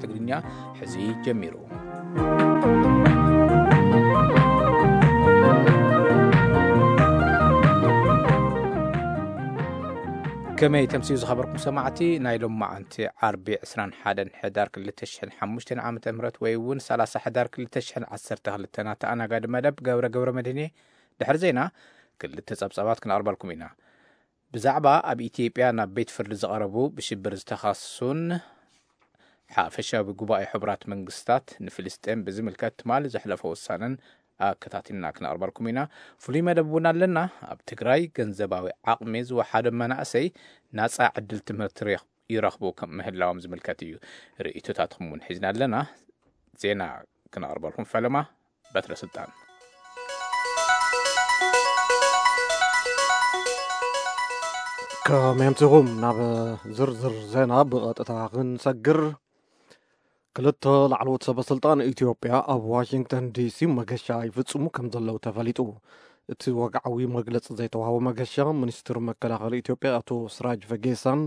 ትግርኛ ሕዚ ጀሚሩ። ከመይ ተምስዩ ዝኸበርኩም ሰማዕቲ፣ ናይ ሎማዓንቲ ዓርቢ ዕስራን ሓደን ሕዳር ክልተ ሽሕን ሓሙሽተን ዓመተ ምህረት ወይ እውን ሰላሳ ሕዳር ክልተ ሽሕን ዓሰርተ ክልተን ኣተኣናጋዲ መደብ ገብረ ገብረ መድህኔ። ድሕሪ ዜና ክልተ ጸብጻባት ክነቕርበልኩም ኢና። ብዛዕባ ኣብ ኢትዮጵያ ናብ ቤት ፍርዲ ዝቐረቡ ብሽብር ዝተኸሱን ሓፈሻዊ ጉባኤ ሕቡራት መንግስታት ንፍልስጤም ብዝምልከት ትማሊ ዘሕለፎ ውሳነን ኣከታቲልና ክነቕርበልኩም ኢና። ፍሉይ መደብ እውን ኣለና። ኣብ ትግራይ ገንዘባዊ ዓቕሚ ዝወሓዶም መናእሰይ ናጻ ዕድል ትምህርቲ ሬኽ-፣ ይረኽቡ ከም ምህላዎም ዝምልከት እዩ። ርእይቶታትኩም እውን ሒዝና ኣለና። ዜና ክነቕርበልኩም ፈለማ በትረ ስልጣን። ከመይ ኣምሲኹም? ናብ ዝርዝር ዜና ብቐጥታ ክንሰግር። ክልተ ላዕለዎት ሰበ ስልጣን ኢትዮጵያ ኣብ ዋሽንግተን ዲሲ መገሻ ይፍጽሙ ከም ዘለዉ ተፈሊጡ። እቲ ወግዓዊ መግለጺ ዘይተዋህቦ መገሻ፣ ሚኒስትር መከላኸሊ ኢትዮጵያ ኣቶ ስራጅ ፈጌሳን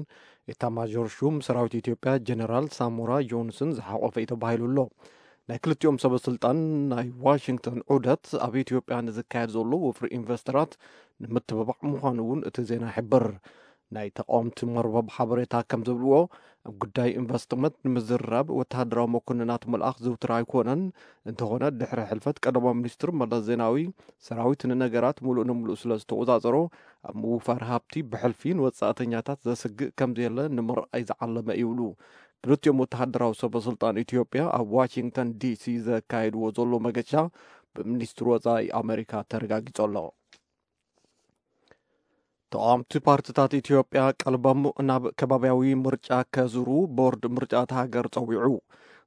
ኤታማዦር ሹም ሰራዊት ኢትዮጵያ ጀነራል ሳሞራ ጆንስን ዝሓቖፈ እዩ ተባሂሉ ኣሎ። ናይ ክልቲኦም ሰበ ስልጣን ናይ ዋሽንግተን ዑደት ኣብ ኢትዮጵያ ንዝካየድ ዘሎ ወፍሪ ኢንቨስተራት ንምትብባዕ ምዃኑ እውን እቲ ዜና ይሕብር። ናይ ተቃወምቲ መርበብ ሓበሬታ ከም ዝብልዎ፣ ኣብ ጉዳይ ኢንቨስትመንት ንምዝርራብ ወተሃደራዊ መኮንናት ምልኣኽ ዝውትር ኣይኮነን። እንተኾነ፣ ድሕሪ ሕልፈት ቀዳማይ ሚኒስትር መለስ ዜናዊ፣ ሰራዊት ንነገራት ምሉእ ንምሉእ ስለ ዝተቆጻጸሮ፣ ኣብ ምውፋር ሃብቲ ብሕልፊ ንወጻእተኛታት ዘስግእ ከም ዘየለ ንምርኣይ ዝዓለመ እዩ ይብሉ። ክልቲኦም ወተሃደራዊ ሰበ ስልጣን ኢትዮጵያ ኣብ ዋሽንግተን ዲሲ ዘካየድዎ ዘሎ መገሻ ብሚኒስትሪ ወጻኢ ኣመሪካ ተረጋጊጹ ኣሎ። ተቓወምቲ ፓርትታት ኢትዮጵያ ቀልቦም ናብ ከባብያዊ ምርጫ ከዝሩ ቦርድ ምርጫ እታ ሃገር ጸዊዑ።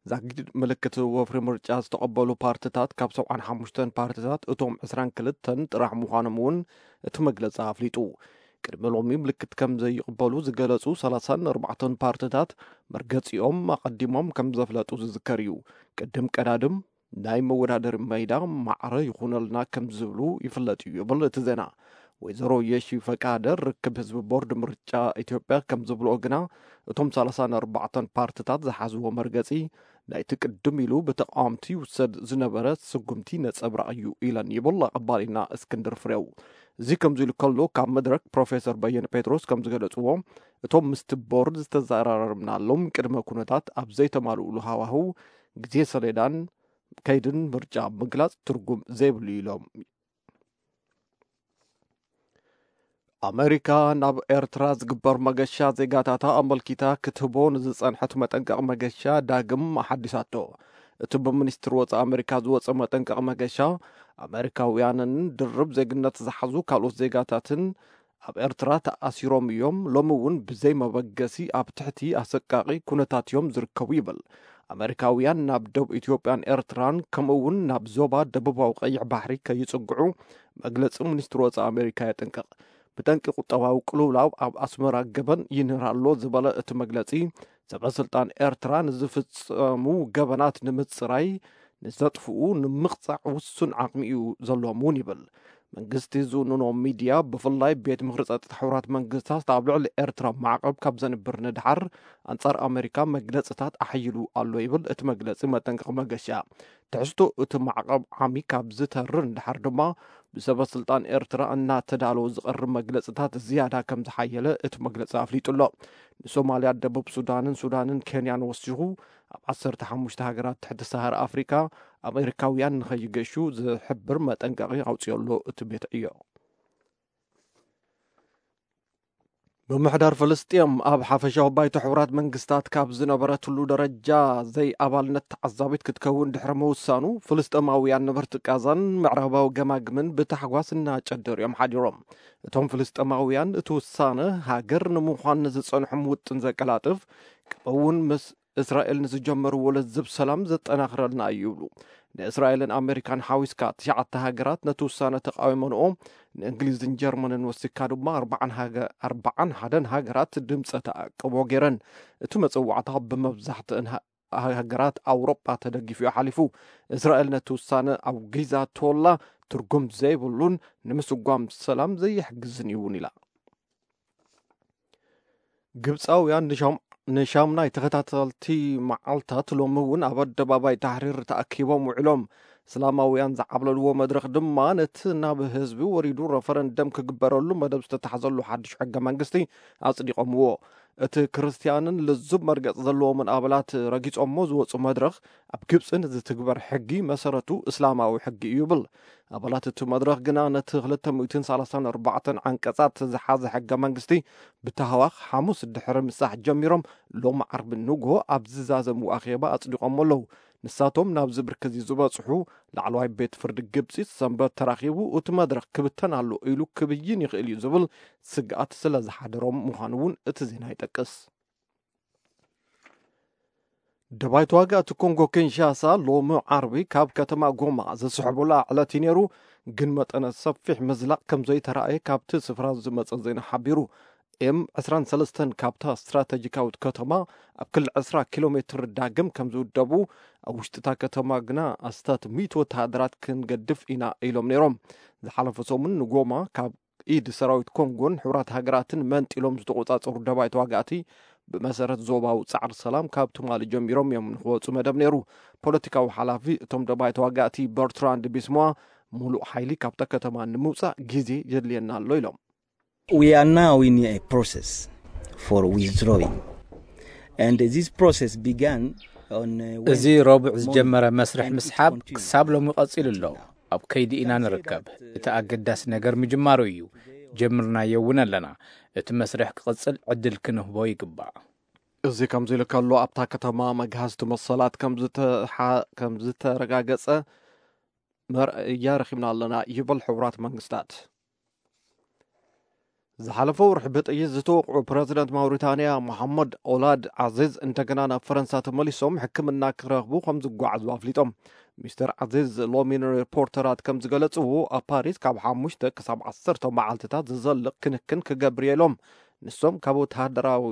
ዛጊድ ምልክት ወፍሪ ምርጫ ዝተቐበሉ ፓርትታት ካብ ሰብዓን ሓሙሽተን ፓርትታት እቶም ዕስራን ክልተን ጥራሕ ምዃኖም እውን እቲ መግለጺ ኣፍሊጡ። ቅድሚ ሎሚ ምልክት ከም ዘይቕበሉ ዝገለጹ ሰላሳን ኣርባዕተን ፓርትታት መርገጺኦም ኣቐዲሞም ከም ዘፍለጡ ዝዝከር እዩ። ቅድም ቀዳድም ናይ መወዳደሪ ሜዳ ማዕረ ይኹነልና ከም ዝብሉ ይፍለጥ እዩ ይብል እቲ ዜና። ወይዘሮ የሺ ፈቃደ ርክብ ህዝቢ ቦርድ ምርጫ ኢትዮጵያ ከም ዝብልኦ ግና፣ እቶም ሰላሳን ኣርባዕተን ፓርትታት ዝሓዝዎ መርገጺ ናይቲ ቅድም ኢሉ ብተቃወምቲ ይውሰድ ዝነበረ ስጉምቲ ነጸብራቕ እዩ ኢለን ይብል ኣቐባሊና እስክንድር ፍሬው። እዚ ከምዚ ኢሉ ከሎ፣ ካብ መድረክ ፕሮፌሰር በየነ ጴጥሮስ ከም ዝገለጽዎ፣ እቶም ምስቲ ቦርድ ዝተዘራረብናሎም ቅድመ ኩነታት ኣብ ዘይተማልኡሉ ሃዋህው፣ ግዜ ሰሌዳን ከይድን ምርጫ ምግላጽ ትርጉም ዘይብሉ ኢሎም። ኣመሪካ ናብ ኤርትራ ዝግበር መገሻ ዜጋታታ ኣመልኪታ ክትህቦ ንዝጸንሐት መጠንቀቕ መገሻ ዳግም ኣሓዲሳቶ። እቲ ብሚኒስትሪ ወጻኢ ኣመሪካ ዝወጸ መጠንቀቕ መገሻ፣ ኣመሪካውያንን ድርብ ዜግነት ዝሓዙ ካልኦት ዜጋታትን ኣብ ኤርትራ ተኣሲሮም እዮም። ሎሚ እውን ብዘይ መበገሲ ኣብ ትሕቲ ኣሰቃቒ ኩነታት እዮም ዝርከቡ ይብል። ኣመሪካውያን ናብ ደቡብ ኢትዮጵያን ኤርትራን ከምኡ እውን ናብ ዞባ ደቡባዊ ቀይሕ ባሕሪ ከይጽግዑ መግለጺ ሚኒስትሪ ወጻኢ ኣመሪካ የጠንቅቕ። ብጠንቂ ቁጠባዊ ቅልውላው ኣብ ኣስመራ ገበን ይንህር ኣሎ ዝበለ እቲ መግለጺ፣ ሰበ ስልጣን ኤርትራ ንዝፍጸሙ ገበናት ንምጽራይ ንዘጥፍኡ ንምቕጻዕ ውሱን ዓቕሚ እዩ ዘለዎም እውን ይብል። መንግስቲ ዝውንኖ ሚድያ፣ ብፍላይ ቤት ምኽሪ ጸጥታ ሕቡራት መንግስታት ኣብ ልዕሊ ኤርትራ ማዕቐብ ካብ ዘንብር ንድሓር፣ ኣንጻር ኣመሪካ መግለጽታት ኣሕይሉ ኣሎ ይብል እቲ መግለጺ መጠንቀቒ መገሻ። ትሕዝቶ እቲ ማዕቐብ ዓሚ ካብ ዝተርር ንድሓር ድማ፣ ብሰበ ስልጣን ኤርትራ እናተዳለወ ዝቐርብ መግለጽታት ዝያዳ ከም ዝሓየለ እቲ መግለጺ ኣፍሊጡ ኣሎ። ንሶማልያ፣ ደቡብ ሱዳንን ሱዳንን ኬንያን ወሲኹ፣ ኣብ ዓሰርተ ሓሙሽተ ሃገራት ትሕቲ ሰሃራ ኣፍሪካ ኣሜሪካውያን ንኸይገሹ ዝሕብር መጠንቀቒ ኣውጺኦ ኣሎ እቲ ቤት ዕዮ። ምምሕዳር ፍልስጤም ኣብ ሓፈሻዊ ባይቶ ሕቡራት መንግስታት ካብ ዝነበረትሉ ደረጃ ዘይኣባልነት ተዓዛቢት ክትከውን ድሕሪ ምውሳኑ፣ ፍልስጤማውያን ነበርቲ ቃዛን ምዕራባዊ ገማግምን ብታሕጓስ እናጨደሩ እዮም ሓዲሮም። እቶም ፍልስጤማውያን፣ እቲ ውሳነ ሃገር ንምዃን ንዝጸንሖም ውጥን ዘቀላጥፍ፣ ከምኡውን ምስ እስራኤል ንዝጀመርዎ ለዝብ ሰላም ዘጠናኽረልና እዩ ይብሉ። ንእስራኤልን ኣሜሪካን ሓዊስካ ትሽዓተ ሃገራት ነቲ ውሳነ ተቃዊመንኦ፣ ንእንግሊዝን ጀርመንን ወሲካ ድማ ኣርባዓን ሃገ-፣ ኣርባዓን ሓደን ሃገራት ድምፀ ተኣቅቦ ገይረን። እቲ መፀዋዕታ ብመብዛሕትእን ሃ-፣ ሃገራት ኣውሮጳ ተደጊፉ እዩ ሓሊፉ። እስራኤል ነቲ ውሳነ ኣውጊዛቶ ኣላ፣ ትርጉም ዘይብሉን ንምስጓም ሰላም ዘይሕግዝን እዩ እውን ኢላ። ግብፃውያን ንሻም-፣ ንሻምናይ ተኸታተልቲ መዓልታት ሎሚ እውን ኣብ ኣደባባይ ታሕሪር ተኣኪቦም ውዕሎም። እስላማውያን ዝዓብለልዎ መድረኽ ድማ ነቲ ናብ ህዝቢ ወሪዱ ረፈረንደም ክግበረሉ መደብ ዝተታሕዘሉ ሓድሽ ሕገ መንግስቲ ኣጽዲቖምዎ። እቲ ክርስትያንን ልዙብ መርገጽ ዘለዎምን ኣባላት ረጊጾሞ ዝወጹ መድረኽ፣ ኣብ ግብጺ ንዝትግበር ሕጊ መሰረቱ እስላማዊ ሕጊ እዩ ይብል። ኣባላት እቲ መድረኽ ግና ነቲ ክልተ ሚእትን ሰላሳን ኣርባዕተን ዓንቀጻት ዝሓዘ ሕገ መንግስቲ ብታህዋኽ ሓሙስ ድሕሪ ምሳሕ ጀሚሮም ሎም ዓርቢ ንግሆ ኣብ ዝዛዘሙ ኣኼባ ኣጽዲቖሞ ኣለዉ። ንሳቶም ናብዚ ብርኪ እዚ ዝበጽሑ ላዕለዋይ ቤት ፍርዲ ግብጺ ሰንበት ተራኺቡ እቲ መድረኽ ክብተን ኣሎ ኢሉ ክብይን ይኽእል እዩ ዝብል ስግኣት ስለ ዝሓደሮም ምዃኑ እውን እቲ ዜና ይጠቅስ። ደባይ ተዋጋእቲ ኮንጎ ኪንሻሳ ሎሚ ዓርቢ ካብ ከተማ ጎማ ዝስሕቡላ ዕለት እዩ ነይሩ፣ ግን መጠነ ሰፊሕ ምዝላቕ ከም ዘይተራእየ ካብቲ ስፍራ ዝመጸ ዜና ሓቢሩ። ኤም ዕስራን ሰለስተን ካብታ ስትራተጂካዊት ከተማ ኣብ ክሊ ዕስራ ኪሎ ሜትር ዳግም ከም ዝውደቡ፣ ኣብ ውሽጢ እታ ከተማ ግና ኣስታት ሚእቲ ወተሃደራት ክንገድፍ ኢና ኢሎም ነይሮም። ዝሓለፈ ሰሙን ንጎማ ካብ ኢድ ሰራዊት ኮንጎን ሕቡራት ሃገራትን መንጢሎም ዝተቆጻጸሩ ደባይ ተዋጋእቲ ብመሰረት ዞባዊ ጻዕሪ ሰላም ካብ ትማሊ ጀሚሮም እዮም ንክወጹ መደብ ነይሩ። ፖለቲካዊ ሓላፊ እቶም ደባይ ተዋጋእቲ በርትራንድ ቢስሞዋ፣ ሙሉእ ሓይሊ ካብታ ከተማ ንምውጻእ ግዜ የድልየና ኣሎ ኢሎም። We are now in a process for withdrawing. And this process began on uh, እዚ Wednesday. ረቡዕ ዝጀመረ መስርሕ ምስሓብ ክሳብ ሎሚ ቀጺሉ ኣሎ። ኣብ ከይዲ ኢና ንርከብ። እቲ ኣገዳሲ ነገር ምጅማሩ እዩ። ጀምርናዮ እውን ኣለና። እቲ መስርሕ ክቕጽል ዕድል ክንህቦ ይግባእ። እዚ ከምዚ ኢሉ ከሎ፣ ኣብታ ከተማ መግሃዝቲ መሰላት ከም ዝተሓ- ከም ዝተረጋገጸ መርኣያ ረኺብና ኣለና ይብል ሕቡራት መንግስታት። ዝሓለፈ ወርሒ ብጥይት ዝተወቕዑ ፕረዚደንት ማውሪታንያ መሓመድ ኦላድ ዓዚዝ እንደገና ናብ ፈረንሳ ተመሊሶም ሕክምና ክረኽቡ ከም ዝጓዓዙ ኣፍሊጦም። ሚስተር ዓዚዝ ሎሚ ንሪፖርተራት ከም ዝገለጽዎ፣ ኣብ ፓሪስ ካብ ሓሙሽተ ክሳብ ዓሰርተ መዓልትታት ዝዘልቕ ክንክን ክገብር እየ ኢሎም። ንሶም ካብ ወተሃደራዊ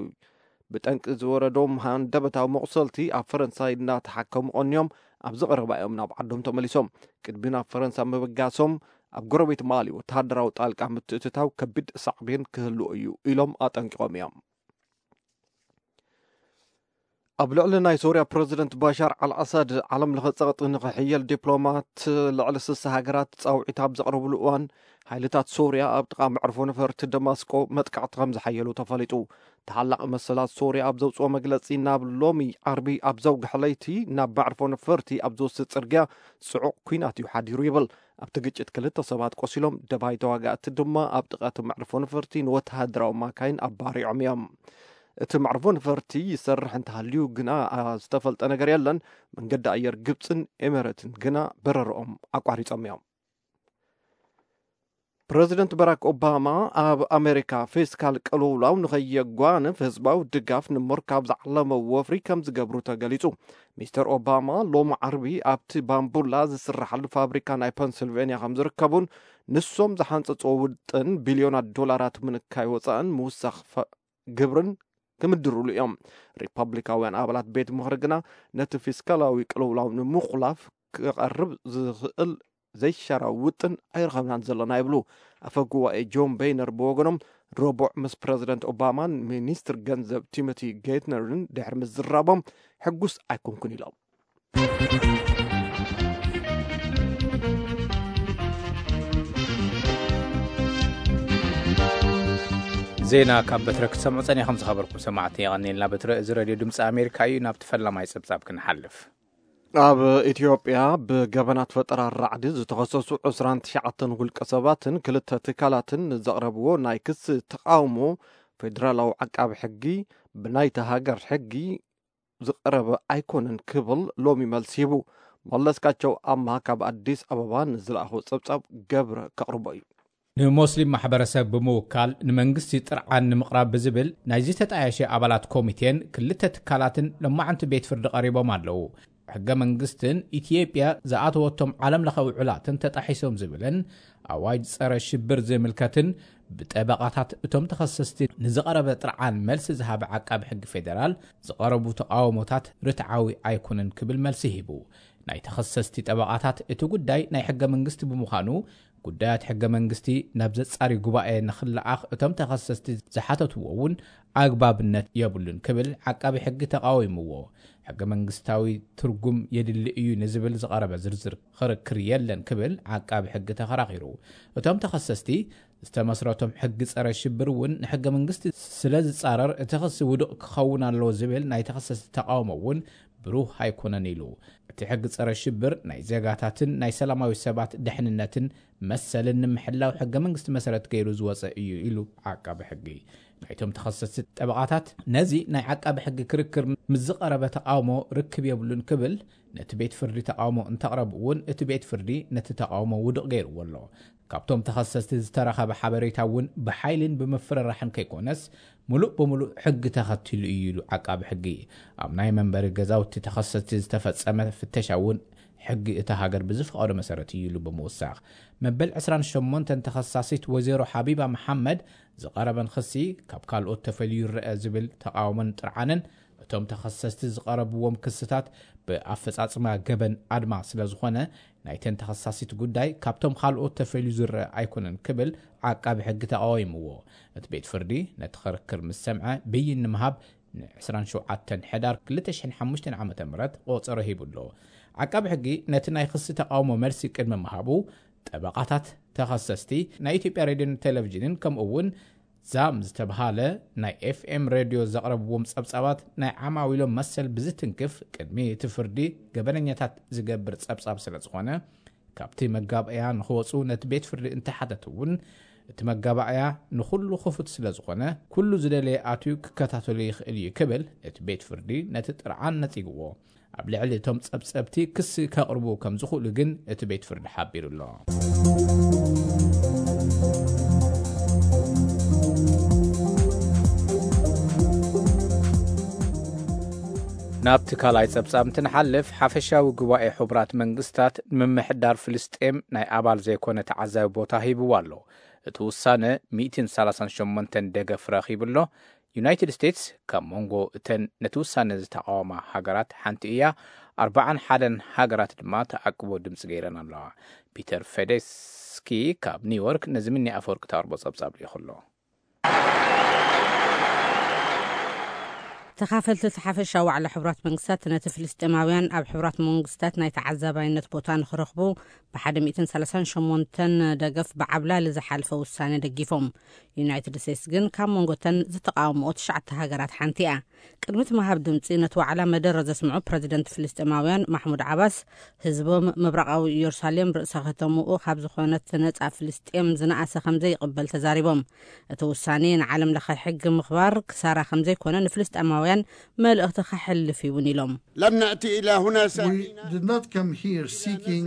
ብጠንቂ ዝወረዶም ሃንደበታዊ መቑሰልቲ ኣብ ፈረንሳይ እናተሓከሙ ቀንዮም ኣብዚ ቀረባ እዮም ናብ ዓዶም ተመሊሶም። ቅድሚ ናብ ፈረንሳ ምብጋሶም ኣብ ጎረቤት ማሊ ወተሃደራዊ ጣልቃ ምትእትታው ከቢድ ሳዕቤን ክህልዎ እዩ ኢሎም ኣጠንቂቖም እዮም። ኣብ ልዕሊ ናይ ሶርያ ፕረዚደንት ባሻር ኣልኣሳድ ዓለም ለኸ ጸቕጢ ንኽሕየል ዲፕሎማት ልዕሊ ስሳ ሃገራት ጻውዒት ኣብ ዘቕረብሉ እዋን፣ ሓይልታት ሶርያ ኣብ ጥቓ መዕርፎ ነፈርቲ ደማስቆ መጥቃዕቲ ከም ዝሓየሉ ተፈሊጡ። ተሓላቒ መሰላት ሶርያ ኣብ ዘውፅኦ መግለፂ፣ ናብ ሎሚ ዓርቢ ኣብ ዘውግሐ ለይቲ ናብ መዕርፎ ነፈርቲ ኣብ ዝወስድ ፅርግያ ፅዑቕ ኲናት እዩ ሓዲሩ ይብል። ኣብቲ ግጭት ክልተ ሰባት ቆሲሎም፣ ደባይ ተዋጋእቲ ድማ ኣብ ጥቓ እቲ መዕርፎ ነፈርቲ ንወተሃደራዊ ማካይን ኣባሪዖም እዮም። እቲ መዕርፎ ነፈርቲ ይሰርሕ እንተሃልዩ ግና ዝተፈልጠ ነገር የለን። መንገዲ ኣየር ግብፅን ኤሜሬትን ግና በረርኦም ኣቋሪፆም እዮም። ፕረዚደንት ባራክ ኦባማ ኣብ ኣሜሪካ ፊስካል ቅልውላው ንኸየጓንፍ ህዝባዊ ድጋፍ ንምርካብ ዝዓለመ ወፍሪ ከም ዝገብሩ ተገሊጹ። ሚስተር ኦባማ ሎሚ ዓርቢ ኣብቲ ባምቡላ ዝስራሓሉ ፋብሪካ ናይ ፐንስልቬንያ ከም ዝርከቡን ንሶም ዝሓንጸጽዎ ውጥን ቢልዮናት ዶላራት ምንካይ ወጻእን ምውሳኽ ፈ- ግብርን ክምድሩሉ እዮም። ሪፓብሊካውያን ኣባላት ቤት ምኽሪ ግና ነቲ ፊስካላዊ ቅልውላው ንምኹላፍ ክቐርብ ዝኽእል ዘይሻራዊ ውጥን ኣይረኸብናን ዘለና ይብሉ። ኣፈ ጉባኤ ጆን ቤይነር ብወገኖም፣ ረቡዕ ምስ ፕረዚደንት ኦባማን ሚኒስትር ገንዘብ ቲሞቲ ጌትነርን ድሕሪ ምዝራቦም ሕጉስ ኣይኮንኩን ኢሎም። ዜና ካብ በትረ ክትሰምዑ ጸኒኹም ዝኸበርኩም ሰማዕቲ የቐኒልና። በትረ እዚ ሬድዮ ድምፂ ኣሜሪካ እዩ። ናብቲ ፈላማይ ጸብጻብ ክንሓልፍ። ኣብ ኢትዮጵያ ብገበናት ፈጠራ ራዕዲ ዝተኸሰሱ ዕስራን ትሽዓተን ውልቀ ሰባትን ክልተ ትካላትን ንዘቕረብዎ ናይ ክሲ ተቓውሞ፣ ፌደራላዊ ዓቃቢ ሕጊ ብናይታ ሃገር ሕጊ ዝቐረበ ኣይኮነን ክብል ሎሚ መልሲ ሂቡ። መለስካቸው ኣማ ካብ ኣዲስ ኣበባ ንዝለኣኾ ጸብጻብ ገብረ ከቕርቦ እዩ። ንሞስሊም ማሕበረሰብ ብምውካል ንመንግስቲ ጥርዓን ንምቕራብ ብዝብል ናይዚ ተጣያሸ ኣባላት ኮሚቴን ክልተ ትካላትን ሎማዕንቲ ቤት ፍርዲ ቀሪቦም ኣለዉ። ሕገ መንግስትን ኢትዮጵያ ዝኣተወቶም ዓለም ለኸ ውዕላትን ተጣሒሶም ዝብልን ኣዋጅ ጸረ ሽብር ዝምልከትን ብጠበቓታት እቶም ተኸሰስቲ ንዝቐረበ ጥርዓን መልሲ ዝሃበ ዓቃቢ ሕጊ ፌደራል ዝቐረቡ ተቓውሞታት ርትዓዊ ኣይኮነን ክብል መልሲ ሂቡ። ናይ ተኸሰስቲ ጠበቓታት እቲ ጉዳይ ናይ ሕገ መንግስቲ ብምዃኑ ጉዳያት ሕገ መንግስቲ ናብ ዘጻሪ ጉባኤ ንኽለኣኽ እቶም ተኸሰስቲ ዝሓተትዎ እውን ኣግባብነት የብሉን ክብል ዓቃቢ ሕጊ ተቃዊምዎ። ሕገ መንግስታዊ ትርጉም የድሊ እዩ ንዝብል ዝቐረበ ዝርዝር ክርክር የለን ክብል ዓቃቢ ሕጊ ተኸራኺሩ። እቶም ተኸሰስቲ ዝተመስረቶም ሕጊ ጸረ ሽብር እውን ንሕገ መንግስቲ ስለ ዝጻረር እቲ ክሲ ውዱቕ ክኸውን ኣለዎ ዝብል ናይ ተኸሰስቲ ተቃውሞ እውን ብሩህ ኣይኮነን ኢሉ። እቲ ሕጊ ጸረ ሽብር ናይ ዜጋታትን ናይ ሰላማዊ ሰባት ደሕንነትን መሰልን ንምሕላው ሕገ መንግስቲ መሰረት ገይሩ ዝወጸ እዩ ኢሉ ዓቃቢ ሕጊ። ናይቶም ተኸሰስቲ ጠበቓታት ነዚ ናይ ዓቃቢ ሕጊ ክርክር ምስ ዝቐረበ ተቃውሞ ርክብ የብሉን ክብል ነቲ ቤት ፍርዲ ተቃውሞ እንተቕረቡ እውን እቲ ቤት ፍርዲ ነቲ ተቃውሞ ውዱቕ ገይርዎ ኣሎ። ካብቶም ተኸሰስቲ ዝተረኸበ ሓበሬታ እውን ብሓይልን ብምፍርራሕን ከይኮነስ ምሉእ ብምሉእ ሕጊ ተኸቲሉ እዩ ኢሉ ዓቃቢ ሕጊ። ኣብ ናይ መንበሪ ገዛውቲ ተኸሰስቲ ዝተፈጸመ ፍተሻ እውን ሕጊ እታ ሃገር ብዝፈቐዶ መሰረት እዩ ኢሉ ብምውሳኽ መበል ዕስራን ሸሞንተን ተኸሳሲት ወይዘሮ ሓቢባ መሓመድ ዝቐረበን ክሲ ካብ ካልኦት ተፈልዩ ይረአ ዝብል ተቃውሞን ጥርዓንን እቶም ተኸሰስቲ ዝቐረብዎም ክስታት ብኣፈጻጽማ ገበን ኣድማ ስለ ዝኾነ ናይተን ተኸሳሲት ጉዳይ ካብቶም ካልኦት ተፈልዩ ዝረአ ኣይኮነን ክብል ዓቃቢ ሕጊ ተቃዊምዎ። እቲ ቤት ፍርዲ ነቲ ክርክር ምስ ሰምዐ ብይን ንምሃብ ን ዕስራን ሸውዓተን ሕዳር ክልተ ሽሕን ሓሙሽተን ዓመተ ምህረት ቆጸሮ ሂቡ ኣሎ። ዓቃቢ ሕጊ ነቲ ናይ ክሲ ተቃውሞ መልሲ ቅድሚ ምሃቡ ጠበቓታት ተኸሰስቲ ናይ ኢትዮጵያ ሬድዮን ቴሌቪዥንን ከምኡ እውን ዛም ዝተብሃለ ናይ ኤፍኤም ሬድዮ ዘቕረብዎም ጸብጻባት ናይ ዓማዊሎም መሰል ብዝትንክፍ ቅድሚ እቲ ፍርዲ ገበነኛታት ዝገብር ጸብጻብ ስለ ዝኾነ ካብቲ መጋባእያ ንኽወፁ ነቲ ቤት ፍርዲ እንተሓተት እውን እቲ መጋባእያ ንኹሉ ክፉት ስለ ዝኾነ ኩሉ ዝደለየ ኣትዩ ክከታተሉ ይኽእል እዩ ክብል እቲ ቤት ፍርዲ ነቲ ጥርዓን ነጺግዎ። ኣብ ልዕሊ እቶም ጸብጸብቲ ክሲ ከቕርቡ ከም ዝኽእሉ ግን እቲ ቤት ፍርዲ ሓቢሩ ኣሎ። ናብቲ ካልኣይ ጸብጻብ እንትንሓልፍ ሓፈሻዊ ጉባኤ ሕቡራት መንግስታት ንምምሕዳር ፍልስጤም ናይ ኣባል ዘይኮነ ተዓዛቢ ቦታ ሂብዋ ኣሎ። እቲ ውሳነ ሚእትን ሰላሳን ሸሞንተን ደገፍ ረኺቡ ኣሎ። ዩናይትድ ስቴትስ ካብ መንጎ እተን ነቲ ውሳነ ዝተቃወማ ሃገራት ሓንቲ እያ። ኣርባዓን ሓደን ሃገራት ድማ ተኣቅቦ ድምፂ ገይረን ኣለዋ። ፒተር ፌደስኪ ካብ ኒውዮርክ ነዚ ምኒ ኣፈወርቂ ተቕርቦ ጸብጻብ ልኢኹ ኣሎ። ተኻፈልቲ እቲ ሓፈሻ ዋዕላ ሕቡራት መንግስታት ነቲ ፍልስጤማውያን ኣብ ሕቡራት መንግስታት ናይ ተዓዛባይነት ቦታ ንኽረኽቡ ብ138 ደገፍ ብዓብላሊ ዝሓልፈ ውሳነ ደጊፎም። ዩናይትድ ስቴትስ ግን ካብ መንጎተን ዝተቃወምኦ ትሽዓተ ሃገራት ሓንቲ እያ። ቅድሚ እቲ ምሃብ ድምፂ ነቲ ዋዕላ መደረ ዘስምዑ ፕረዚደንት ፍልስጤማውያን ማሕሙድ ዓባስ ህዝቦም ምብራቓዊ ኢየሩሳሌም ርእሰ ከተምኡ ካብ ዝኾነት ነፃ ፍልስጤም ዝነኣሰ ከም ዘይቕበል ተዛሪቦም። እቲ ውሳኔ ንዓለም ለኸ ሕጊ ምኽባር ክሳራ ከም ዘይኮነ ንፍልስጤማውያን መልእኽቲ ከሕልፍ ይውን ኢሎም። لم نأتي إلى هنا We did not come here seeking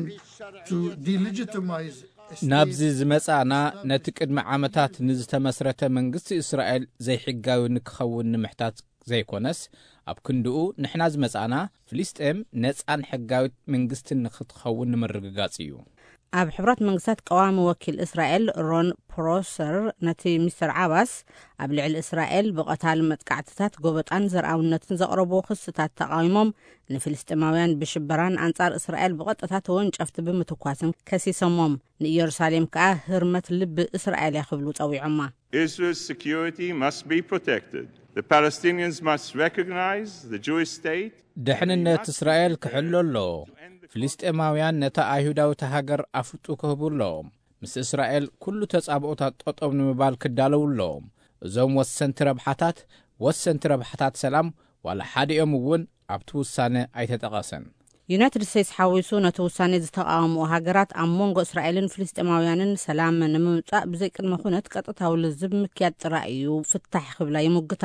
to delegitimize a state. ናብዚ ዝመጻእና ነቲ ቅድሚ ዓመታት ንዝተመስረተ መንግስቲ እስራኤል ዘይሕጋዊ ንክኸውን ንምሕታት ዘይኮነስ ኣብ ክንድኡ ንሕና ዝመጻእና ፍልስጤም ነጻን ሕጋዊት መንግስትን ንክትኸውን ንምርግጋጽ እዩ። ኣብ ሕቡራት መንግስታት ቀዋሚ ወኪል እስራኤል ሮን ፕሮሰር ነቲ ሚስተር ዓባስ ኣብ ልዕሊ እስራኤል ብቐታል መጥቃዕትታት ጎበጣን ዘርኣውነትን ዘቕረብዎ ክስታት ተቓዊሞም ንፍልስጤማውያን ብሽበራን ኣንጻር እስራኤል ብቐጥታ ተወንጨፍቲ ብምትኳስን ከሲሶሞም። ንኢየሩሳሌም ከኣ ህርመት ልቢ እስራኤል እያ ክብሉ ጸዊዖማ። Israel's security must be protected. The Palestinians must recognize the Jewish state. ድሕንነት እስራኤል ክሕሎ ኣለዎ። ፍልስጤማውያን ነታ ኣይሁዳዊት ሃገር ኣፍልጡ ክህቡ ኣለዎም። ምስ እስራኤል ኩሉ ተጻብኦታት ጠጠው ንምባል ክዳለዉ ኣለዎም። እዞም ወሰንቲ ረብሓታት ወሰንቲ ረብሓታት ሰላም ዋላ ሓዲኦም እውን ኣብቲ ውሳነ ኣይተጠቐሰን። ዩናይትድ ስቴትስ ሓዊሱ ነቲ ውሳኔ ዝተቓወምኦ ሃገራት ኣብ መንጎ እስራኤልን ፍልስጤማውያንን ሰላም ንምምጻእ ብዘይ ቅድመ ኩነት ቀጥታዊ ልዝብ ምክያድ ጥራይ እዩ ፍታሕ ክብላ ይሙግታ።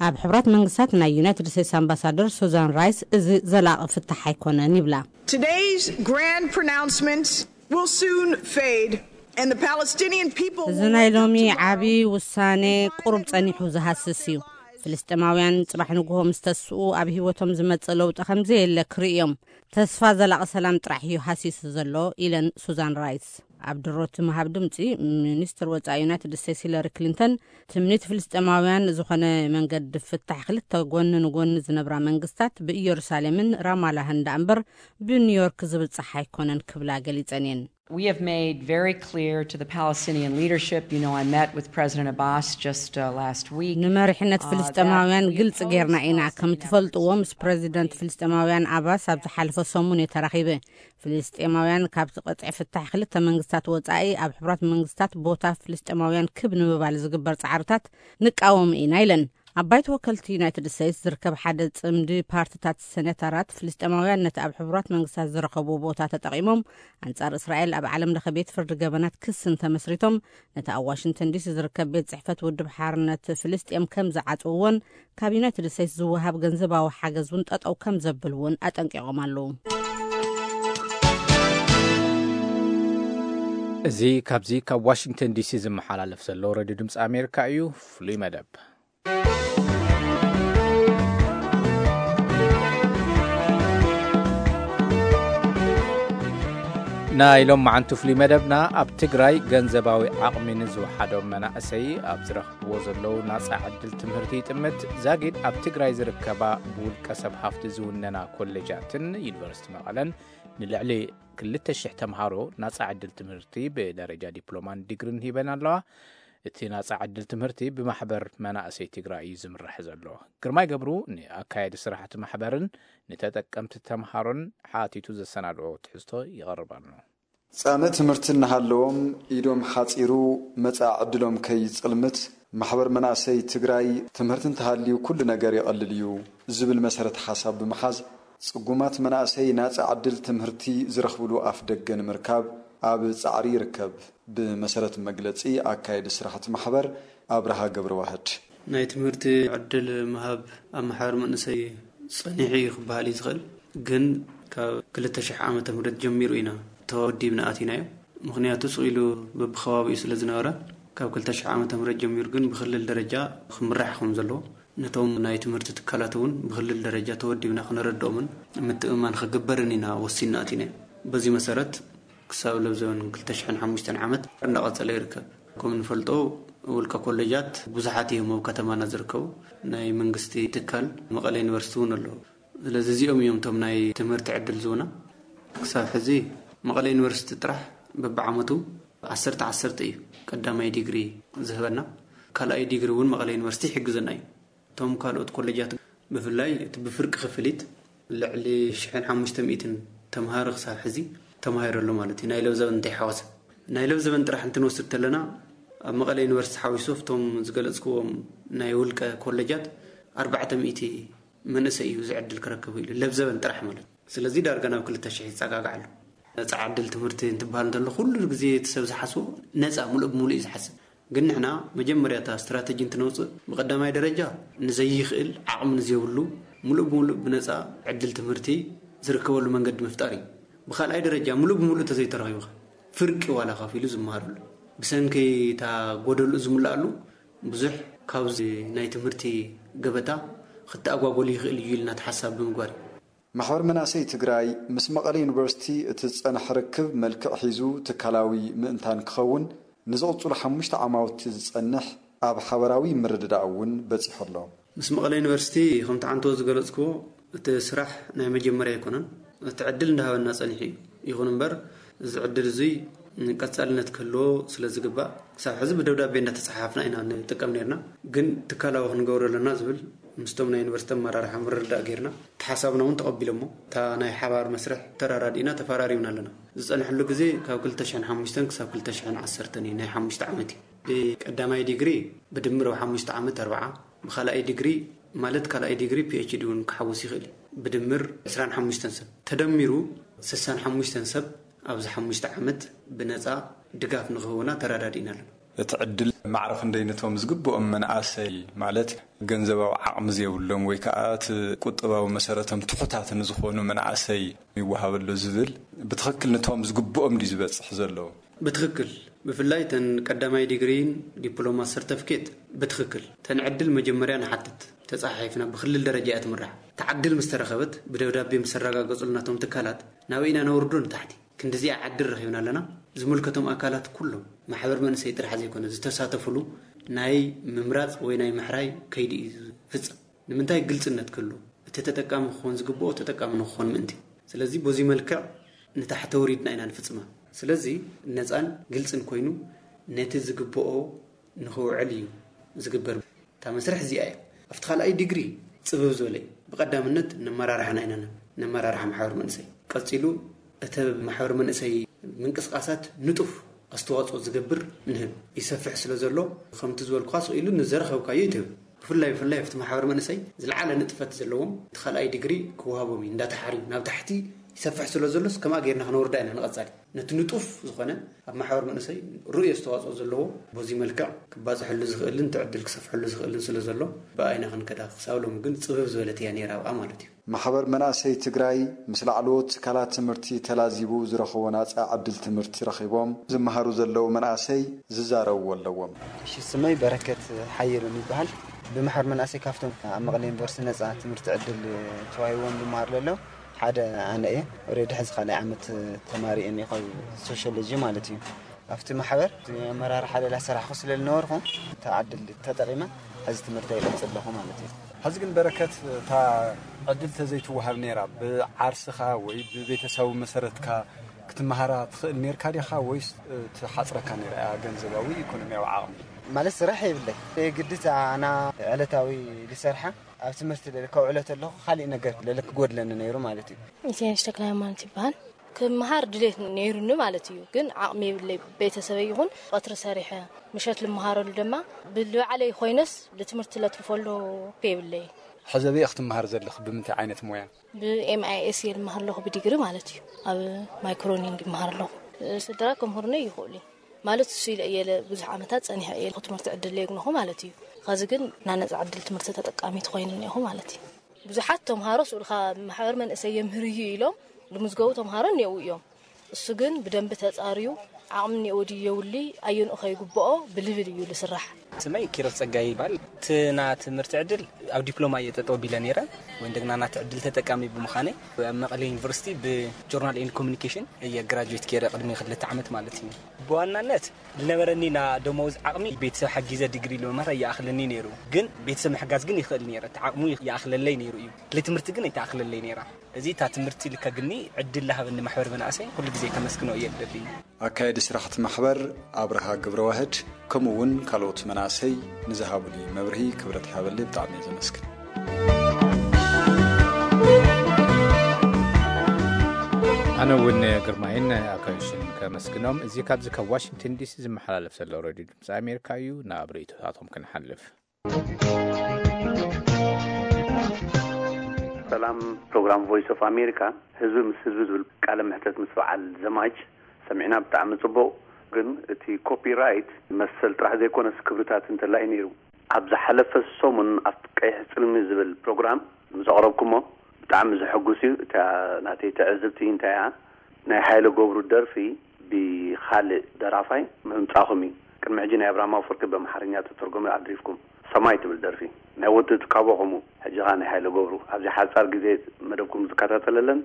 ኣብ ሕቡራት መንግስታት ናይ ዩናይትድ ስቴትስ ኣምባሳደር ሱዛን ራይስ እዚ ዘላቒ ፍታሕ ኣይኮነን ይብላ። Today's grand pronouncements will soon fade, and the Palestinian people እዚ will ናይ wake up ሎሚ tomorrow ዓቢ ውሳኔ ቁሩብ ጸኒሑ ዝሃስስ እዩ። ፍልስጤማውያን ጽባሕ ንግሆ ምስ ተስኡ ኣብ ህይወቶም ዝመጽእ ለውጢ ከም ዘየለ ክርእዮም። ተስፋ ዘላቒ ሰላም ጥራሕ እዩ ሃሲሱ ዘሎ ኢለን ሱዛን ራይስ። ኣብ ድሮ እቲ ምሃብ ድምጺ ሚኒስትር ወጻኢ ዩናይትድ ስቴትስ ሂለሪ ክሊንተን ትምኒት ፍልስጤማውያን ዝኾነ መንገዲ ፍታሕ ክልተ ጎኒ ንጎኒ ዝነብራ መንግስታት ብኢየሩሳሌምን ራማላህን ደኣ እምበር ብኒውዮርክ ዝብጻሕ ኣይኮነን ክብላ ገሊጸን እየን። We have made very clear to the Palestinian leadership. You know, I met with President Abbas just uh, last week. ንመሪሕነት ፍልስጤማውያን ግልፂ ጌርና ኢና። ከም ትፈልጥዎ፣ ምስ ፕሬዚደንት ፍልስጤማውያን ኣባስ ኣብ ዝሓለፈ ሰሙን እየ ተራኺበ። ፍልስጤማውያን ካብቲ ቅጥዒ ፍታሕ ክልተ መንግስታት ወፃኢ ኣብ ሕቡራት መንግስታት ቦታ ፍልስጤማውያን ክብ ንምባል ዝግበር ፃዕርታት ንቃወም ኢና ኢለን። ኣብ ባይቶ ወከልቲ ዩናይትድ ስቴትስ ዝርከብ ሓደ ጽምዲ ፓርትታት ሴኔተራት፣ ፍልስጤማውያን ነቲ ኣብ ሕቡራት መንግስታት ዝረኸብዎ ቦታ ተጠቒሞም ኣንጻር እስራኤል ኣብ ዓለም ለኸ ቤት ፍርዲ ገበናት ክሲ እንተመስሪቶም፣ ነቲ ኣብ ዋሽንግተን ዲሲ ዝርከብ ቤት ጽሕፈት ውድብ ሓርነት ፍልስጤም ከም ዝዓጽውዎን ካብ ዩናይትድ ስቴትስ ዝወሃብ ገንዘባዊ ሓገዝ እውን ጠጠው ከም ዘብል እውን ኣጠንቂቖም ኣለዉ። እዚ ካብዚ ካብ ዋሽንግተን ዲሲ ዝመሓላለፍ ዘሎ ሬድዮ ድምፂ ኣሜሪካ እዩ። ፍሉይ መደብ ናይ ሎም መዓንቱ ፍሉይ መደብና፣ ኣብ ትግራይ ገንዘባዊ ዓቕሚ ንዝወሓዶም መናእሰይ ኣብ ዝረኽብዎ ዘለዉ ናፃ ዕድል ትምህርቲ ይጥምት። ዛጊድ ኣብ ትግራይ ዝርከባ ብውልቀ ሰብ ሃፍቲ ዝውነና ኮሌጃትን ዩኒቨርሲቲ መቐለን ንልዕሊ ክልተ ሽሕ ተምሃሮ ናፃ ዕድል ትምህርቲ ብደረጃ ዲፕሎማን ዲግሪን ሂበን ኣለዋ። እቲ ናፃ ዕድል ትምህርቲ ብማሕበር መናእሰይ ትግራይ እዩ ዝምራሕ ዘሎ። ግርማይ ገብሩ ንኣካየዲ ስራሕቲ ማሕበርን ንተጠቀምቲ ተምሃሮን ሓቲቱ ዘሰናድኦ ትሕዝቶ ይቐርብ ኣሎ። ጻምእ ትምህርቲ እናሃለዎም ኢዶም ሓጺሩ መጻኢ ዕድሎም ከይጽልምት ማሕበር መናእሰይ ትግራይ ትምህርቲ እንተሃልዩ ኩሉ ነገር ይቐልል እዩ ዝብል መሰረት ሓሳብ ብምሓዝ ጽጉማት መናእሰይ ናጻ ዕድል ትምህርቲ ዝረኽብሉ ኣፍ ደገ ንምርካብ ኣብ ጻዕሪ ይርከብ። ብመሰረት መግለጺ ኣካየዲ ስራሕቲ ማሕበር ኣብርሃ ገብረዋህድ፣ ናይ ትምህርቲ ዕድል ምሃብ ኣብ ማሕበር መንእሰይ ጸኒሑ እዩ ክበሃል እዩ ዝኽእል። ግን ካብ ክልተ ሽሕ ዓመተ ምህረት ጀሚሩ ኢና ተወዲብና ኣቲናዮ። ምኽንያቱ ስቕ ኢሉ በብኸባቢኡ ስለ ዝነበረ፣ ካብ ክልተ ሽሕ ዓመተ ምህረት ጀሚሩ ግን ብክልል ደረጃ ክምራሕ ከም ዘለዎ፣ ነቶም ናይ ትምህርቲ ትካላት እውን ብክልል ደረጃ ተወዲብና ክነረድኦምን ምትእምማን ክግበርን ኢና ወሲንና ኣቲናዮ። በዚ መሰረት ክሳብ ለብ ዘበን ክልተ ሽሕን ሓሙሽተን ዓመት እንዳቐጸለ ይርከብ። ከም እንፈልጦ ውልቀ ኮሌጃት ብዙሓት እዮም ኣብ ከተማና ዝርከቡ። ናይ መንግስቲ ትካል መቐለ ዩኒቨርሲቲ እውን ኣለዉ። ስለዚ እዚኦም እዮም እቶም ናይ ትምህርቲ ዕድል ዝህቡና። ክሳብ ሕዚ መቐለ ዩኒቨርሲቲ ጥራሕ በብዓመቱ ዓሰርተ ዓሰርተ እዩ ቀዳማይ ዲግሪ ዝህበና። ካልኣይ ዲግሪ እውን መቐለ ዩኒቨርሲቲ ይሕግዘና እዩ። እቶም ካልኦት ኮሌጃት ብፍላይ እቲ ብፍርቂ ክፍሊት ልዕሊ ሽሕን ሓሙሽተ ሚእትን ተምሃሮ ክሳብ ሕዚ ተማሂሩ ኣሎ ማለት እዩ። ናይ ለብዘበን እንተይሓወሰ፣ ናይ ለብዘበን ጥራሕ እንትንወስድ ተለና ኣብ መቐለ ዩኒቨርሲቲ ሓዊሱ ኣብቶም ዝገለጽክዎም ናይ ውልቀ ኮሌጃት ኣርባዕተ ሚእቲ መንእሰይ እዩ ዝዕድል ክረክብ ኢሉ ለብዘበን ጥራሕ ማለት እዩ። ስለዚ ዳርጋ ናብ ክልተ ሽሕ ይጸጋጋዕ ኣሎ። ነጻ ዕድል ትምህርቲ እንትበሃል እንተሎ ኩሉ ግዜ እቲ ሰብ ዝሓስቦ ነጻ ምሉእ ብምሉእ እዩ ዝሓስብ። ግን ንሕና መጀመርያ እታ ስትራተጂ እንትነውፅእ ብቀዳማይ ደረጃ ንዘይኽእል ዓቕሚ ንዘይብሉ ምሉእ ብምሉእ ብነፃ ዕድል ትምህርቲ ዝርከበሉ መንገዲ ምፍጣር እዩ። ብካልኣይ ደረጃ ምሉእ ብምሉእ እንተዘይተረኺቡ ኸ ፍርቂ ዋላ ከፊሉ ዝመሃረሉ ብሰንኪ እታ ጎደልኡ ዝምልኣሉ ብዙሕ ካብዚ ናይ ትምህርቲ ገበታ ክተኣጓጎል ይኽእል እዩ ኢልና እቲ ሓሳብ ብምግባር እዩ። ማሕበር መናእሰይ ትግራይ ምስ መቐለ ዩኒቨርሲቲ እቲ ዝፀንሐ ርክብ መልክዕ ሒዙ ትካላዊ ምእንታን ክኸውን ንዝቕፅሉ ሓሙሽተ ዓማውቲ ዝፀንሕ ኣብ ሓበራዊ ምርድዳእ እውን በፂሑ ኣሎ። ምስ መቐለ ዩኒቨርሲቲ ከምቲ ዓንቶ ዝገለፅክዎ እቲ ስራሕ ናይ መጀመርያ ኣይኮነን። እቲ ዕድል እንዳሃበና ፀኒሑ እዩ። ይኹን እምበር እዚ ዕድል እዙይ ቀፃልነት ክህልዎ ስለ ዝግባእ ክሳብ ሕዚ ብደብዳቤ እንዳተፀሓሓፍና ኢና ንጥቀም ነርና። ግን ትካላዊ ክንገብሮ ኣለና ዝብል ምስቶም ናይ ዩኒቨርሲቲ ኣመራርሓ ምርድዳእ ጌርና እቲ ሓሳብና እውን ተቐቢሎሞ እታ ናይ ሓባር መስርሕ ተራዳዲእና ተፈራሪምና ኣለና። ዝፀንሐሉ ግዜ ካብ ክልተ ሽሕን ሓሙሽተን ክሳብ ክልተ ሽሕን ዓሰርተን እዩ፣ ናይ ሓሙሽተ ዓመት እዩ። ብቀዳማይ ዲግሪ ብድምር ኣብ ሓሙሽተ ዓመት ኣርብዓ፣ ብካልኣይ ዲግሪ ማለት ካልኣይ ዲግሪ ፒ ኤች ዲ እውን ክሓውስ ይኽእል እዩ። ብድምር ዕስራን ሓሙሽተን ሰብ ተደሚሩ ስሳን ሓሙሽተን ሰብ ኣብዚ ሓሙሽተ ዓመት ብነፃ ድጋፍ ንክህቡና ተራዳዲእና ኣለና። እቲ ዕድል ማዕረ ክንደይ ነቶም ዝግብኦም መናእሰይ ማለት ገንዘባዊ ዓቕሚ ዘይብሎም ወይ ከዓ እቲ ቁጠባዊ መሰረቶም ትሑታት ንዝኾኑ መናእሰይ ይወሃበሉ ዝብል ብትኽክል ነቶም ዝግብኦም ድዩ ዝበፅሕ ዘሎ? ብትኽክል ብፍላይ ተን ቀዳማይ ዲግሪን ዲፕሎማ ሰርተፍኬት ብትኽክል ተን ዕድል መጀመርያ ንሓትት ተፃሓሒፍና ብክልል ደረጃ እያ ትምራሕ። ተዓድል ምስ ተረኸበት ብደብዳቤ ምስ ኣረጋገፁልናቶም ትካላት ናብ ኢና ነውርዶ ንታሕቲ ክንድዚኣ ዓድል ረኺብና ኣለና። ዝምልከቶም ኣካላት ኩሎም ማሕበር መንእሰይ ጥራሕ ዘይኮነ ዝተሳተፍሉ ናይ ምምራፅ ወይ ናይ ምሕራይ ከይዲ እዩ ዝፍፀም። ንምንታይ ግልፅነት ክህሉ እቲ ተጠቃሚ ክኾን ዝግብኦ ተጠቃሚ ንክኾን ምእንቲ። ስለዚ በዚ መልክዕ ንታሕቲ ኣውሪድና ኢና ንፍፅማ። ስለዚ ነፃን ግልፅን ኮይኑ ነቲ ዝግብኦ ንኽውዕል እዩ ዝግበር። እታ መስርሕ እዚኣ እያ። ኣብቲ ካልኣይ ዲግሪ ፅብብ ዝበለ እዩ። ብቐዳምነት ነመራርሓና ኢና ንህብ፣ ነመራርሓ ማሕበር መንእሰይ። ቀፂሉ እቲ ማሕበር መንእሰይ ምንቅስቃሳት ንጡፍ ኣስተዋፅኦ ዝገብር ንህብ። ይሰፍሕ ስለ ዘሎ፣ ከምቲ ዝበልኩኻ፣ ስቕ ኢሉ ንዘረኸብካዮ ይትህብ። ብፍላይ ብፍላይ ኣብቲ ማሕበር መንእሰይ ዝለዓለ ንጥፈት ዘለዎም እቲ ካልኣይ ዲግሪ ክወሃቦም እዩ። እንዳተሓርዩ ናብ ታሕቲ ይሰፍሕ ስለ ዘሎስ፣ ከምኣ ጌርና ክነወርዳ ኢና ንቐጻሊ። ነቲ ንጡፍ ዝኾነ ኣብ ማሕበር መንእሰይ ርኡይ ኣስተዋፅኦ ዘለዎ፣ በዚ መልክዕ ክባፅሐሉ ዝኽእልን እቲ ዕድል ክሰፍሐሉ ዝኽእልን ስለ ዘሎ፣ ብኣይና ክንከዳ። ክሳብ ሎሚ ግን ፅብብ ዝበለት እያ ነይራ ኣብኣ ማለት እዩ። ማሕበር መናእሰይ ትግራይ ምስ ላዕለዎት ትካላት ትምህርቲ ተላዚቡ ዝረኸቦ ናፃ ዕድል ትምህርቲ ረኺቦም ዝመሃሩ ዘለዉ መናእሰይ ዝዛረብዎ ኣለዎም። እሺ፣ ስመይ በረከት ሓየሎም ይበሃል። ብማሕበር መናእሰይ ካብቶም ኣብ መቐለ ዩኒቨርሲቲ ነፃ ትምህርቲ ዕድል ተዋሂብዎም ዝመሃሩ ዘለዉ ሓደ ኣነ እየ። ኦልሬዲ ሕዚ ካልኣይ ዓመት ተማሪ እየ ካብ ሶሽዮሎጂ ማለት እዩ። ኣብቲ ማሕበር እቲ ኣመራርሓ ሌላ ሰራሕኩ ስለ ዝነበርኩ፣ እታ ዕድል ተጠቒመ ሕዚ ትምህርቲ ይቐጽል ኣለኹ ማለት እዩ። ሕዚ ግን በረከት፣ እታ ዕድል ተዘይትወሃብ ነይራ፣ ብዓርስኻ ወይ ብቤተሰቡ መሰረትካ ክትመሃራ ትኽእል ነርካ ዲኻ ወይስ ትሓጽረካ ነይራ እያ ገንዘባዊ ኢኮኖሚያዊ ዓቕሚ? ማለት ስራሕ የብለይ። ግድታ ኣና ዕለታዊ ዝሰርሓ ኣብ ትምህርቲ ለለ ከውዕሎ ተለኹ፣ ካሊእ ነገር ለለ ክጎድለኒ ነይሩ ማለት እዩ። ኢሳያስ ተክለ ሃይማኖት ይበሃል። ክመሃር ድሌት ነይሩኒ ማለት እዩ፣ ግን ዓቕሚ የብለይ። ቤተሰበይ ይኹን ቀትሪ ሰሪሐ ምሸት ልመሃረሉ ድማ ብልባዕለይ ኮይነስ ልትምህርቲ ለትርፈሉ የብለይ። ሕዚ ኣበይ ክትመሃር ዘለኽ? ብምንታይ ዓይነት ሞያ? ብኤምኣይኤስ እየ ልመሃር ኣለኹ፣ ብዲግሪ ማለት እዩ። ኣብ ማይክሮኒንግ ይመሃር ኣለኹ። ስድራ ክምህሩኒ ይኽእሉ እዩ ማለት እሱ ኢለ እየ ለ-፣ ብዙሕ ዓመታት ጸኒሐ እየ ትምህርቲ ዕድል የግንኹ ማለት እዩ። ኸዚ ግን ናነጻ ዕድል ትምህርቲ ተጠቃሚት ኮይነ እኒኹ ማለት እዩ። ብዙሓት ተምሃሮ ስኡልካ ማሕበር መንእሰይ የምህር እዩ ኢሎም ልምዝገቡ ተምሃሮ እኒአው እዮም። እሱ ግን ብደንቢ ተጻርዩ ዓቕሚ እኒአው ድዩ የውሊ ኣየንኡ ከይግብኦ ብልብል እዩ ልስራሕ። ስመይ ኪሮስ ጸጋይ ይባል። እቲ ና ትምህርቲ ዕድል ኣብ ዲፕሎማ እየ ጠጠው ቢለ ነይረ። ወይ እንደገና ናቲ ዕድል ተጠቃሚ ብምዃነይ ኣብ መቐለ ዩኒቨርሲቲ ብጆርናል ኤንድ ኮሚኒኬሽን እየ ግራጁዌት ገይረ ቅድሚ ክልተ ዓመት ማለት እዩ። ብዋናነት ዝነበረኒ ና ደሞዝ ዓቕሚ ቤተሰብ ሓጊዘ ዲግሪ ንምምሃር ኣይኣኽለኒ ነይሩ። ግን ቤተሰብ ምሕጋዝ ግን ይኽእል ነይረ። እቲ ዓቕሙ ይኣኽለለይ ነይሩ እዩ። ለትምህርቲ ግን ኣይተኣኽለለይ ነይራ። እዚ እታ ትምህርቲ ልከግኒ ዕድል ለሃበኒ ማሕበር መናእሰይ ኩሉ ግዜ ከመስግኖ እየ ልደሊ። ኣካየዲ ስራሕቲ ማሕበር ኣብርሃ ግብረዋህድ ከምኡ እውን ካልኦት መናእሰይ ንዝሃቡኒ መብርሂ ክብረት ይሃበለይ ብጣዕሚ እየ ዘመስግን። ኣነ እውን ግርማይን ኣካዮሽን ከመስግኖም። እዚ ካብዚ ካብ ዋሽንግተን ዲሲ ዝመሓላለፍ ዘሎ ሬድዮ ድምፂ ኣሜሪካ እዩ። ናብ ርእይቶታቶም ክንሓልፍ። ሰላም፣ ፕሮግራም ቮይስ ኦፍ ኣሜሪካ። ህዝቢ ምስ ህዝቢ ዝብል ቃለ መሕተት ምስ በዓል ዘማች ሰሚዕና፣ ብጣዕሚ ጽቡቕ። ግን እቲ ኮፒራይት መሰል ጥራሕ ዘይኮነስ ክብርታት እንተላይ ነይሩ። ኣብ ዝሓለፈ ሰሙን ኣብ ቀይሕ ጽልሚ ዝብል ፕሮግራም ምስ ኣቕረብኩሞ ብጣዕሚ ዘሐጉስ እዩ። እታ ናተይ ትዕዝብቲ እንታይ እያ? ናይ ሃይለ ገብሩ ደርፊ ብኻልእ ደራፋይ ምምጻኹም እዩ። ቅድሚ ሕጂ ናይ ኣብርሃም ኣፈወርቂ ብኣምሓርኛ ተተርጎመ ኣድሪፍኩም። ሰማይ ትብል ደርፊ ናይ ወዲ ትካቦ ከምኡ። ሕጂ ኸኣ ናይ ሃይለ ገብሩ ኣብዚ ሓጻር ግዜ መደብኩም ዝከታተለለን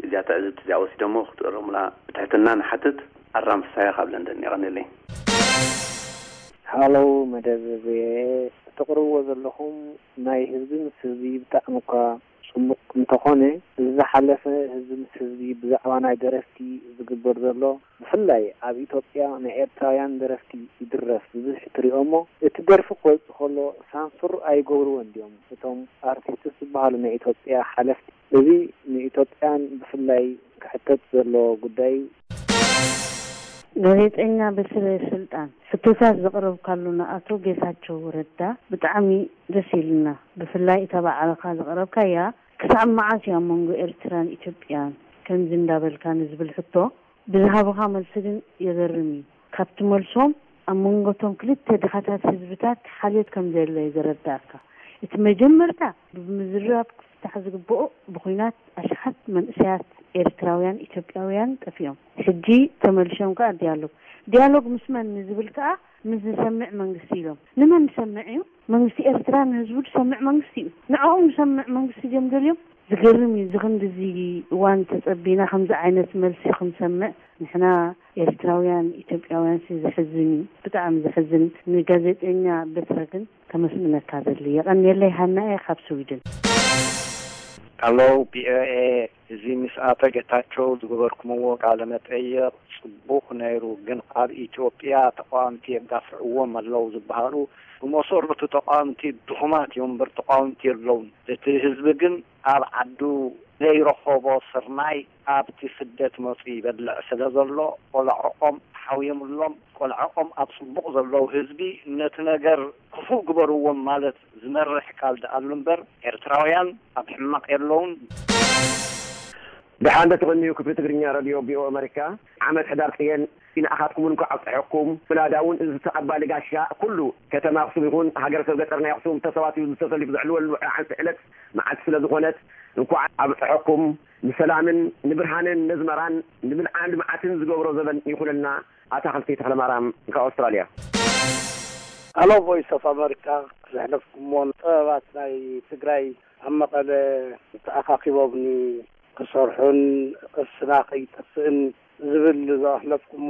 እዚኣ ትዕዝብቲ እዚኣ ወሲደሞ ክትእረሙላ ብትሕትና ንሓትት። ኣራም ፍሳሃ ካብ ለንደን። የቐንየለይ። ሃሎ መደብ ቪኦኤ፣ እተቕርብዎ ዘለኹም ናይ ህዝቢ ምስ ህዝቢ ብጣዕሚ እኳ ጽቡቕ እንተኾነ፣ እዚ ዝሓለፈ ህዝቢ ምስ ህዝቢ ብዛዕባ ናይ ደረፍቲ ዝግበር ዘሎ፣ ብፍላይ ኣብ ኢትዮጵያ ናይ ኤርትራውያን ደረፍቲ ይድረፍ ብዙሕ ትሪኦ እሞ፣ እቲ ደርፊ ክወጽእ ከሎ ሳንሱር ኣይገብርዎን ድዮም እቶም ኣርቲስትስ ዝበሃሉ ናይ ኢትዮጵያ ሓለፍቲ? እዚ ንኢትዮጵያን ብፍላይ ክሕተት ዘለዎ ጉዳይ እዩ። ጋዜጠኛ በስረ ስልጣን፣ ሕቶታት ዘቕረብካሉና ኣቶ ጌታቸው ረዳ ብጣዕሚ ደስ ኢሉና። ብፍላይ እታ ባዕልኻ ዘቕረብካያ ክሳብ መዓስ እዩ ኣብ መንጎ ኤርትራን ኢትዮጵያን ከምዚ እንዳበልካ ንዝብል ሕቶ ብዝሃብኻ መልሲ ግን የገርም እዩ። ካብቲ መልሶም ኣብ መንጎ እቶም ክልተ ድኻታት ህዝብታት ሓልዮት ከም ዘየለ እዩ ዘረዳእካ። እቲ መጀመርታ ብምዝርራብ ክፍታሕ ዝግብኦ ብኹናት ኣሽሓት መንእሰያት ኤርትራውያን ኢትዮጵያውያን ጠፊኦም። ሕጂ ተመልሾም ከኣ ዲያሎግ። ዲያሎግ ምስ መን ንዝብል ከኣ ምስ ዝሰምዕ መንግስቲ ኢሎም። ንመን ዝሰምዕ እዩ? መንግስቲ ኤርትራ ንህዝቡ ዝሰምዕ መንግስቲ እዩ። ንዕኦም ዝሰምዕ መንግስቲ ድዮም ደልዮም? ዝገርም እዩ። እዚ ክንድዚ እዋን ተጸቢና ከምዚ ዓይነት መልሲ ክንሰምዕ ንሕና ኤርትራውያን ኢትዮጵያውያን ሲ ዘሕዝን እዩ። ብጣዕሚ ዘሕዝን። ንጋዜጠኛ በትረ ግን ከመስግነካ ደሊ። የቐንየለይ ሃና እየ ካብ ስዊድን። ኣሎ ቪኦኤ እዚ ምስ ኣቶ ጌታቸው ዝገበርኩምዎ ቃለ መጠየቕ ጽቡቕ ነይሩ፣ ግን ኣብ ኢትዮጵያ ተቃወምቲ የጋፍዕዎም ኣለዉ ዝበሃሉ ብመሰረቱ ተቃወምቲ ድኹማት እዮም እምበር ተቃወምቲ የለውን። እቲ ህዝቢ ግን ኣብ ዓዱ ዘይረኸቦ ስርናይ ኣብቲ ስደት መጹ ይበልዕ ስለ ዘሎ ቆልዕኦም ሓውዮምሎም፣ ቆልዕኦም ኣብ ጽቡቕ ዘለዉ ህዝቢ ነቲ ነገር ክፉእ ግበርዎም ማለት ዝመርሕ ቃል ደኣሉ እምበር ኤርትራውያን ኣብ ሕማቕ የለውን። ደሓን ዶ ትቕንዩ ክፍሊ ትግርኛ ረድዮ ቪኦኤ ኣመሪካ። ዓመት ሕዳር ጽየን ንኣኻትኩም እንኳዕ ኣብፀሐኩም። ምናዳ እውን እዚ ተቐባሊ ጋሻ ኩሉ ከተማ ኣኽሱም ይኹን ሃገረሰብ ገጠር ናይ ኣኽሱም ተሰባሲቡ ዝተሰሊፉ ዘዕልወሉ ዓንሲ ዕለት መዓልቲ ስለ ዝኾነት እንኳዕ ኣብፀሐኩም። ንሰላምን ንብርሃንን ነዝመራን ንብልዓን ልምዓትን ዝገብሮ ዘበን ይኹነልና። ኣታኽልቲ ተኽለማርያም ካብ ኣውስትራልያ። ኣሎ ቮይስ ኦፍ ኣመሪካ። ዘሕለፍኩምዎ ጥበባት ናይ ትግራይ ኣብ መቐለ ተኣኻኺቦም ክሰርሑን ቅርስና ከይጠፍእን ዝብል ዘሕለፍኩሞ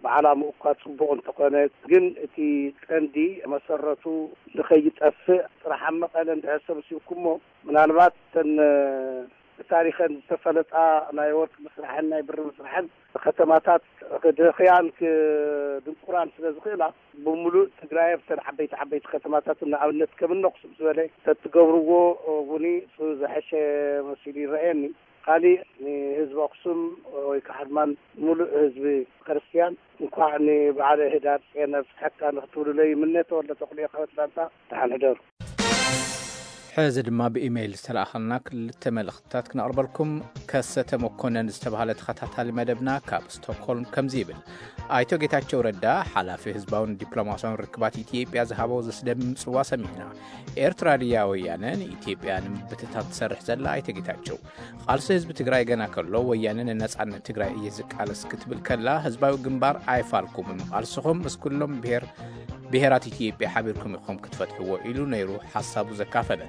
ብዓላምኡ እኳ ጽቡቕ እንተኾነ ግን እቲ ቀንዲ መሰረቱ ንኸይጠፍእ ጥራሕ ኣብ መቐለ እንድሕር ሰብሲብኩሞ ምናልባት እተን ብታሪኸን ዝተፈለጣ ናይ ወርቂ ምስራሕን ናይ ብሪ ምስራሕን ከተማታት ክድኽያን ክድንቁራን ስለ ዝኽእላ ብምሉእ ትግራይ ኣብተን ዓበይቲ ዓበይቲ ከተማታት ንኣብነት ከም እነኽሱም ዝበለ ተትገብርዎ እውን ዝሐሸ መሲሉ ይረአየኒ። ካሊእ ንህዝቢ ኣክሱም ወይ ከዓ ድማ ሙሉእ ህዝቢ ክርስትያን እንኳዕ ንበዓለ ህዳር ፅየን ኣብፅሐካ ንክትብሉለይ ይምነ። ተወልደ ተኽሉ ካብ ኣትላንታ። ደሓን ሕደሩ። ሕዚ ድማ ብኢሜይል ዝተለኣኸልና ክልተ መልእኽትታት ክነቕርበልኩም። ከሰተ መኮነን ዝተባህለ ተኸታታሊ መደብና ካብ ስቶክሆልም ከምዚ ይብል። ኣይቶ ጌታቸው ረዳ ሓላፊ ህዝባውን ዲፕሎማሲያውን ርክባት ኢትዮጵያ ዝሃቦ ዘስደምም ጽዋ ሰሚዕና። ኤርትራ ድያ ወያነ ንኢትዮጵያ ንምብትታን ትሰርሕ ዘላ? ኣይቶ ጌታቸው፣ ቃልሲ ህዝቢ ትግራይ ገና ከሎ ወያነ ንነጻነት ትግራይ እየ ዝቃለስ ክትብል ከላ ህዝባዊ ግንባር ኣይፋልኩምን፣ ቃልስኹም ምስ ኩሎም ብሄር ብሄራት ኢትዮጵያ ሓቢርኩም ኢኹም ክትፈትሕዎ ኢሉ ነይሩ ሓሳቡ ዘካፈለ።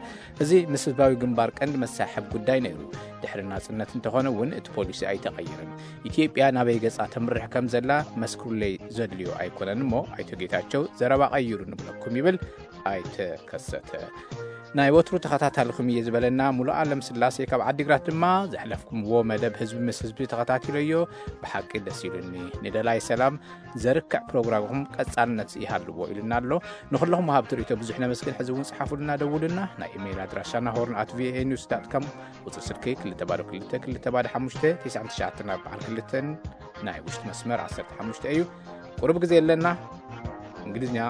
እዚ ምስ ህዝባዊ ግንባር ቀንዲ መሳሕብ ጉዳይ ነይሩ። ድሕሪ ናጽነት እንተኾነ እውን እቲ ፖሊሲ ኣይተቐየረን። ኢትዮጵያ ናበይ ገጻ ተምርሕ ከም ዘላ መስክሩለይ ዘድልዮ ኣይኮነን እሞ ኣይቶ ጌታቸው ዘረባ ቀይሩ ንብለኩም ይብል ኣይተ ከሰተ። ናይ ወትሩ ተኸታታልኹም እየ ዝበለና ሙሉ ኣለም ስላሴ ካብ ዓዲግራት ድማ ዘሕለፍኩምዎ መደብ ህዝቢ ምስ ህዝቢ ተኸታቲለዮ ብሓቂ ደስ ኢሉኒ። ንደላይ ሰላም ዘርክዕ ፕሮግራምኹም ቀጻልነት ይሃልዎ ኢሉና ኣሎ። ንኹለኹም ወሃብቲ ርእይቶ ብዙሕ ነመስግን። ሕዚ እውን ጽሓፉልና፣ ደውሉና። ናይ ኢሜይል ኣድራሻና ሆርን ኣት ቪኦኤ ኒውስ ዳት ኮም፣ ቁጽሪ ስልኪ ክልተ ባዶ ክልተ ክልተ ባዶ ሓሙሽተ ትሽዓን ትሽዓተን ኣርባዓን ክልተን፣ ናይ ውሽጢ መስመር ዓሰርተ ሓሙሽተ እዩ። ቁሩብ ግዜ ኣለና። እንግሊዝኛ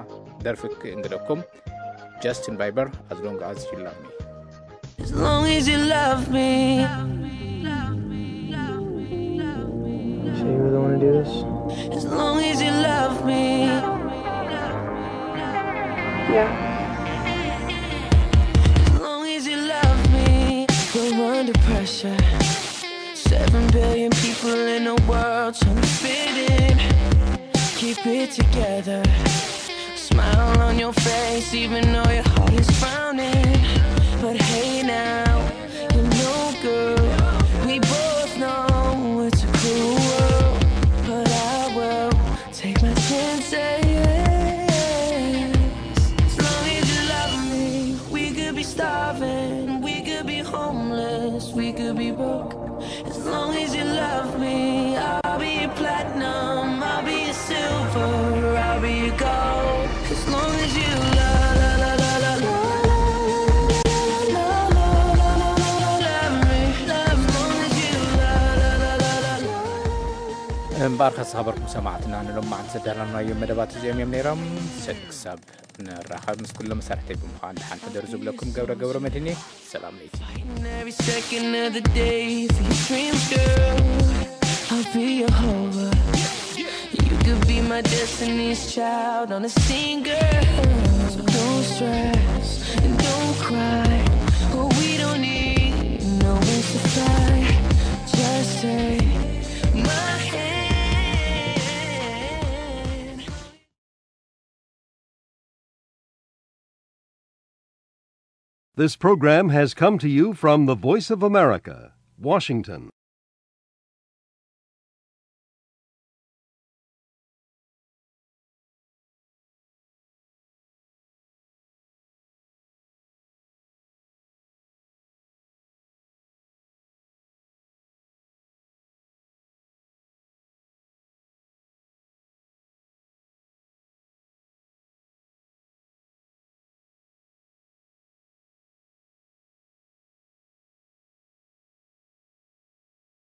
ደርፊ ክእንግደኩም። ጃስቲን ባይበር፣ As Long As You Love Me. As long as you love me. So you really want to do this? As long as you love me. Yeah. As long as you love me. We're under pressure. Seven billion people in the world trying to fit in. Keep it together. Smile on your face, even though your heart is frowning. But hey now, you know, girl, we both know it's a cruel world. But I will take my chances. As long as you love me, we could be starving, we could be homeless, we could be broke. As long as you love me, I'll be your platinum, I'll be your silver, I'll be your gold. As long as you love, love, love, love, love, love, love, love, love, love, love, love me. As long as you love, love, love, love, love, love, love. እምበኣር ከሳበርኩም ሰማዕትና ንሎማዓንቲ ዘዳለናዮም መደባት እዚኦም እዮም ነይሮም። ሰድ ክሳብ ንራኸብ ምስ ኩሎም መሳርሕተይ ብምዃን ደሓን ሕደሩ ዝብለኩም ገብረ ገብረ መድህን እየ። ሰላም ለይቲ። Fighting every second of the day for your dreams, girl. I'll be your hover. You could be my destiny's child on a single. So don't stress and don't cry. Oh, we don't need no wings to fly. Just take my hand. This program has come to you from the Voice of America, Washington.